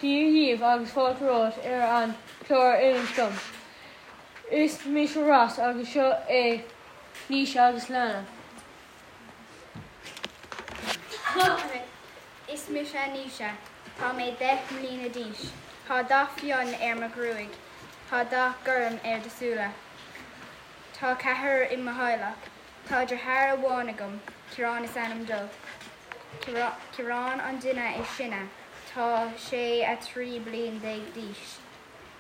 Dia dhaoibh agus fáilte romhat ar an chlár Inis Dom. Is mise Ross agus seo é Naoise agus Alana. Is mise Naoise. Tá mé 10 mbliana d'aois. Tá dath fionn ar mo ghruaig. Tá dath gorm ar do súile. Tá ceathrar i mo theaghlach. Tá deartháir amháin agam, Ciarán is ainm dó. Ciarán an duine is sine. Tá sé 13 bliain d'aois.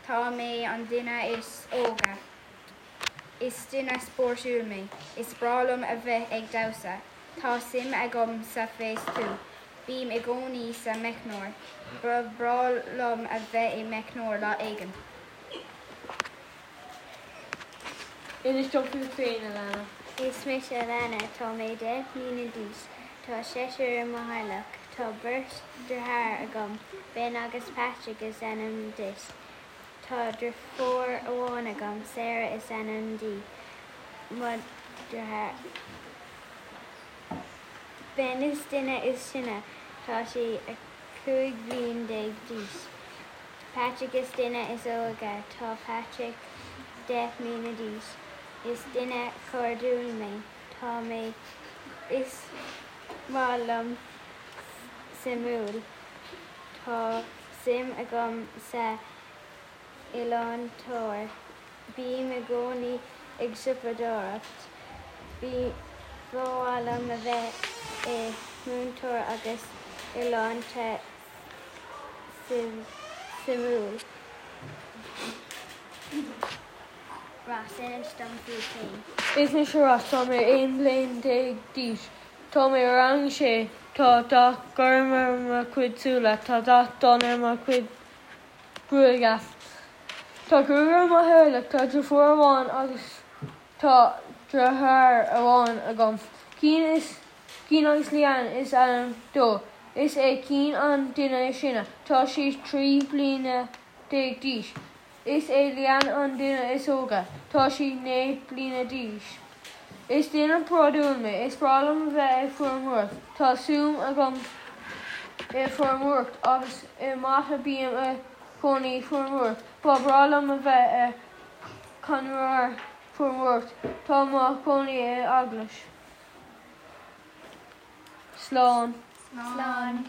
Tá mé an duine is óige. Is duine spórtúil mé. Is breá liom a bheith ag damhsa. Tá suim agam sa feistiú. Bím i gcónaí sa meicneoir. Ba bhreá liom a bheith i meicneoir lá éigin. Inis dom fút féin, Alana. Is mise Alana. Tá mé 10 mbliana d'aois. Tá seisear i mo theaghlach. Tá beirt deartháir agam, Ben agus Patrick is ainm duit. Tá deirfiúr amháin agam, Sarah is ainm di. Mo dheartháir Ben is duine is sine, tá sé 15 bhliain d'aois. Patrick is duine is óige, tá Patrick 10 mbliana d'aois. Is duine cairdiúil mé. Tá mé Is maith liom suimiúil. Tá suim agam sa ealaíontóir. Bím i gcónaí ag siopadóireacht. Ba mhaith liom a bheith i múinteoir agus ealaíonta suimiúil. Ross, inis dom fút féin. Is mise Ross, tá mé 11 bliain d'aois. Tá mé i rang a sé. Tá dath gorm ar mo chuid súile. Tá dath donn ar mo chuid gruaige. Tá cúigear i mo theaghlach. Tá deirfiúr amháin agus tá deartháir amháin agam. Cian is Cian agus Leanne is ainm dó. Is é Cian an duine is sine. Tá sé 13 bliana d'aois. Is é Leanne an duine is óige. Tá sí 9 bliana d'aois. Is duine bródúil mé. Is breá liom a bheith ag feirmeoireacht. Tá suim agam i feirmeoireacht agus i mata Bím i gcónaí feirmeoireacht. Ba bhreá liom a bheith i conraitheoir feirmeoireacht. Tá mo chónaí i eaglais. Slán. Slán.